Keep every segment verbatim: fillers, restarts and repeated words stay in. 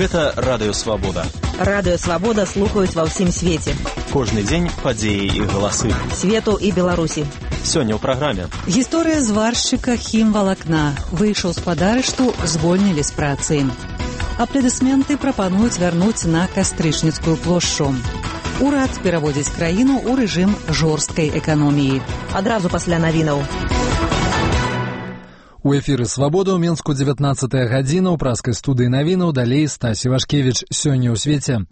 Гэта Радыё Свабода. Радыё Свабода слухаюць ва ўсім свеце. Кожны дзень падзеі і галасы. Свету і Беларусі. Сёння ў праграме. Гісторыя зваршчыка хімвалакна. Выйшаў з-пад арышту, звольнілі з працы. Апладысменты прапануюць вярнуць на Кастрычніцкую плошчу. Урад пераводзіць краіну ў рэжым жорсткай эканоміі. Адразу пасля навінаў. У эфіры «Свабода» ў Менску дзевятнаццатая гадзіна, ў праскай студыі навінаў, далей Стасі Вашкевіч. Сёння ў свеце.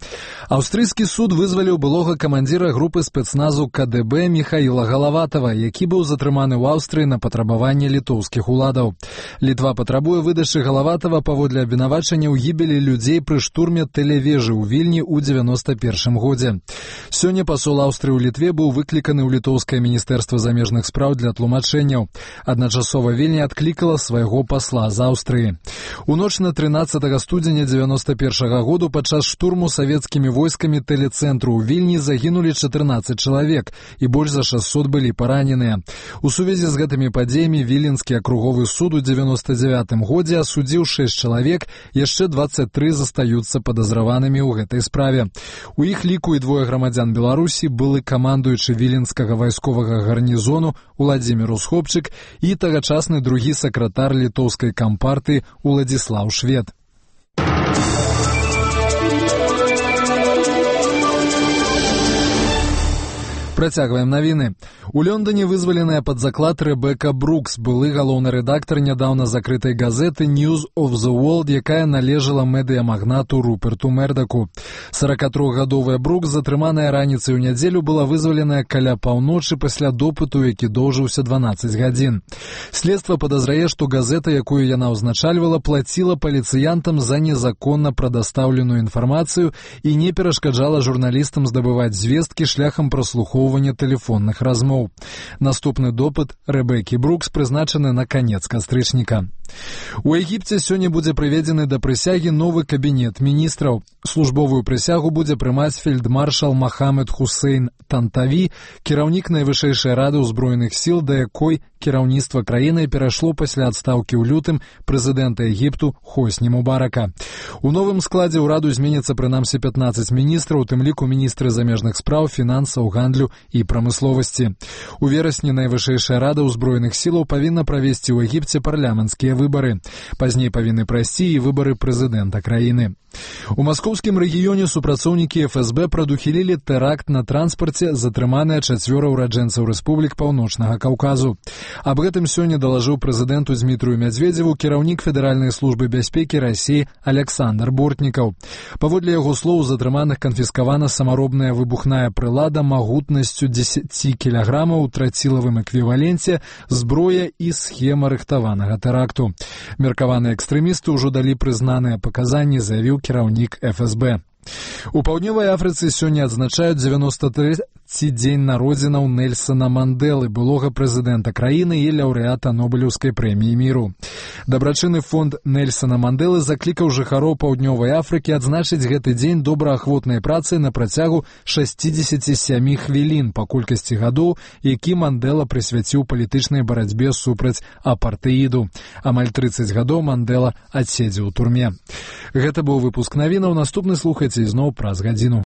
Аўстрыйскі суд вызваліў былога камандзіра групы спецназу ка дэ бэ Міхаіла Галаватава, які быў затрыманы ў Аўстрыі на патрабаванне літоўскіх уладаў. Літва патрабуе выдачы Галаватава паводле абвінавачання ў гібелі людзей пры штурме тэлевежы ў Вільні ў дзевяноста першым годзе. Сёння пасол Аўстрыі ў Літве быў выкліканы ў літоўскае міністэрства замежных спраў для тлумачэнняў. Адначасова Вільня адклікала свайго пасла з Аўстрыі. У ноч на трынаццатага студзеня дзевяноста першага году падчас штурму савецкімі войскамі тэлецэнтру ў Вільні загінулі чатырнаццаць чалавек і больш за шэсцьсот былі параненыя. У сувязі з гэтымі падзеямі Віленскі акруговы суд у дзевяноста дзявятым годзе асудзіў шэсць чалавек, яшчэ дваццаць тры застаюцца падазраванымі ў гэтай справе. У іх ліку і двое грамадзян Беларусі, былы камандуючы віленскага вайсковага гарнізону Уладзімір Усхопчык і тагачасны другі сакратар літоўскай кампартыі Уладзіслаў Швед. Працягваем навіны. У Лондоне вызваленая пад заклад Рэбека Брукс, былы галоўны рэдактар нядаўна закрытай газеты News of the World, якая належала медыямагнату Руперту Мердаку. саракатрохгадовая Брукс, затрыманая раніцай у нядзелю, была вызваленая каля паўночы пасля допыту, які доўжыўся дванаццаць гадзін. Следства падазрае, што газета, якую яна ўзначальвала, плаціла паліцыянтам за незаконна прадастаўленую інфармацыю і не перашкаджала журналістам здабываць звесткі шляхам праслухоўвання тэлефонных размоў. Наступны допыт Рэбекі Брукс прызначаны на канец кастрычніка. У Егіпце сёння будзе прыведзены да прысягі новы кабінет міністраў. Службовую прысягу будзе прымаць фельдмаршал Махамед Хусейн Тантаві, кіраўнік найвышэйшай рады ўзброеных сіл, да якой кіраўніцтва краіны перайшло пасля адстаўкі ў лютым прэзідэнта Егіпту Хосні Мубарака. У новым складзе ўраду зменіцца прынамсі пятнаццаць міністраў, у тым ліку міністры замежных спраў, фінансаў, гандлю і прамысловасці. У верасні найвышэйшая рада ўзброеных сілаў павінна правесці ў Егіпце парламенцкія выбары. Пазней павінны прайсці і выбары прэзідэнта краіны. У маскоўскім рэгіёне супрацоўнікі эф эс бэ прадухілілі тэракт на транспарце, затрыманыя чацвёра ўраджэнцаў рэспублік Паўночнага Каўказу. Аб гэтым сёння далажыў прэзідэнту Дзмітрыю Мядзведзеву кіраўнік Федэральнай службы бяспекі Расіі Аляксандр Бортнікаў. Паводле яго слоў, затрыманых канфіскавана самаробная выбухная прылада магутнасцю дзесяць кілаграмаў у трацілавым эквіваленце, зброя і схема рыхтаванага тэракту. Меркаваныя экстрэмісты ўжо далі прызнаныя паказанні, заявіў кіраўнік эф эс бэ. У Паўднёвай Афрыцы сёння адзначаюць дзевяноста трэці дзень народзінаў Нельсана Мандэлы, былога прэзідэнта краіны і лаўрэата Нобелеўскай прэміі міру. Дабрачынны фонд Нельсана Мандэлы заклікаў жыхароў Паўднёвай Афрыкі адзначыць гэты дзень добраахвотнай працай на працягу шэсцідзесяці сямі хвілін па колькасці гадоў, які Мандэла прысвяціў палітычнай барацьбе супраць апартэіду. Амаль трыццаць гадоў Мандэла адседзеў у турме. Гэта быў выпуск навінаў. Наступны слухайце ізноў праз гадзіну.